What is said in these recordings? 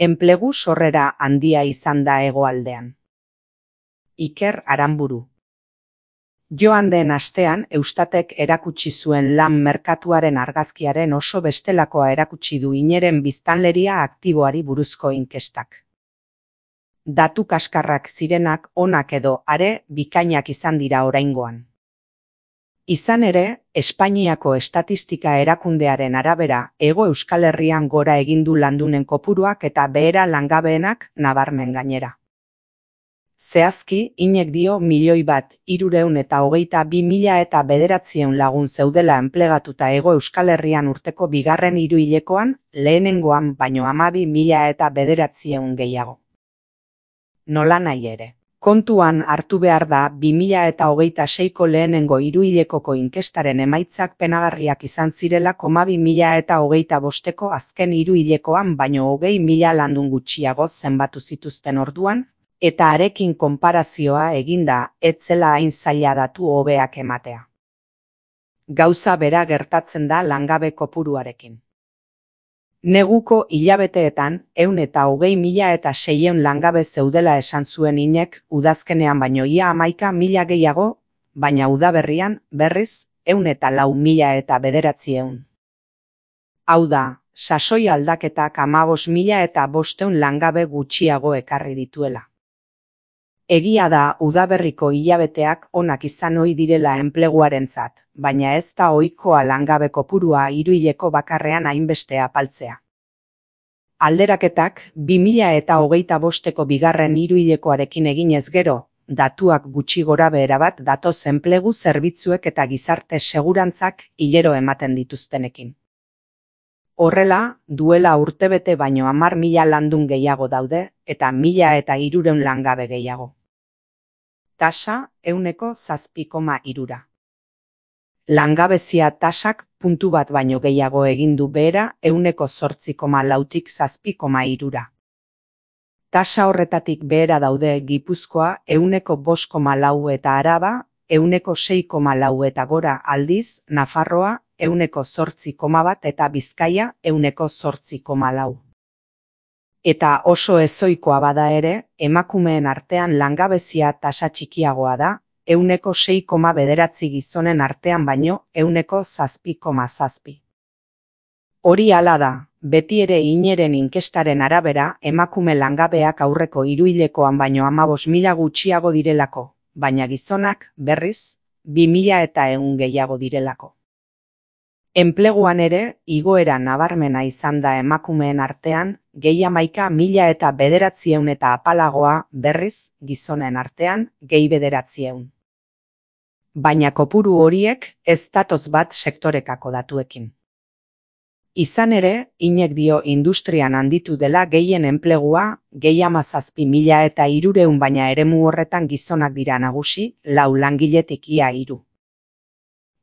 Enplegu sorrera handia izan da hegoaldean. Iker Aranburu. Joan den astean Eustatek erakutsi zuen lan merkatuaren argazkiaren oso bestelakoa erakutsi du ineren biztanleria aktiboari buruzko inkestak. Datu kaskarrak zirenak onak edo are bikainak izan dira oraingoan. Izan ere, Espainiako Estatistika Erakundearen arabera, Hego Euskal Herrian gora egin du landunen kopuruak eta behera langabeenak nabarmen gainera. Zehazki, inek dio 1.322.000 lagun zeudela enplegatuta Hego Euskal Herrian urteko bigarren hiruhilekoan, lehenengoan baino 12.900 gehiago. Nolanahi ere. Kontuan hartu behar da 2026ko lehenengo hiruhilekoko inkestaren emaitzak penagarriak izan zirela 2025ko azken hiruhilekoan baino 20.000 landun gutxiago zenbatu zituzten orduan, eta harekin konparazioa eginda ez zela hain zaila datu hobeak ematea. Gauza bera gertatzen da langabe kopuruarekin. Neguko hilabeteetan 120.600 langabe zeudela esan zuen inek udazkenean baino ia 11.000 gehiago, baina udaberrian berriz 104.900. Hau da, sasoi aldaketak 15.500 langabe gutxiago ekarri dituela. Egia da udaberriko hilabeteak onak izan ohi direla enpleguarentzat, baina ez da ohikoa langabe kopurua hiruhileko bakarrean hainbeste apaltzea. Alderaketak 2025ko bigarren hiruhilekoarekin eginez gero, datuak gutxi gorabehera bat datoz enplegu zerbitzuek eta gizarte segurantzak hilero ematen dituztenekin. Horrela, duela urtebete baino 10.000 landun gehiago daude eta 1.300 langabe gehiago. Tasa 7,3. Langabezia tasak puntu bat baino gehiago egin du behera 8,4tik 7,3. Tasa horretatik behera daude Gipuzkoa 5,4 eta Araba 6,4 eta gora aldiz Nafarroa 8,1 eta Bizkaia 8,4. Eta oso ezoikoa bada ere, emakumeen artean langabezia tasa txikiagoa da, 6,9 gizonen artean baino 7,7. Hori hala da, beti ere ineren inkestaren arabera emakume langabeak aurreko hiruhilekoan baino 15.000 gutxiago direlako, baina gizonak, berriz, 2.100 gehiago direlako. Enpleguan ere, igoera nabarmena izan da emakumeen artean, gehi 11.900 eta apalagoa, berriz, gizonen artean, gehi 900. Baina kopuru horiek ez datoz bat sektorekako datuekin. Izan ere, inek dio industrian handitu dela gehien enplegua, gehi 17.300 baina eremu horretan gizonak dira nagusi, 4 langiletik ia 3.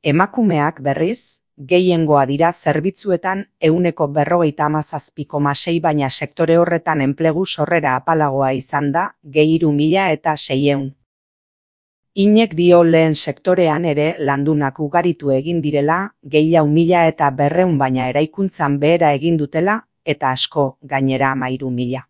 Emakumeak berriz, gehiengoa dira zerbitzuetan 57,6 baina sektore horretan enplegu sorrera apalagoa izan da, gehi 3.600. Inek dio lehen sektorean ere landunak ugaritu egin direla, gehi 4.200 baina eraikuntzan behera egin dutela, eta asko gainera 13.000.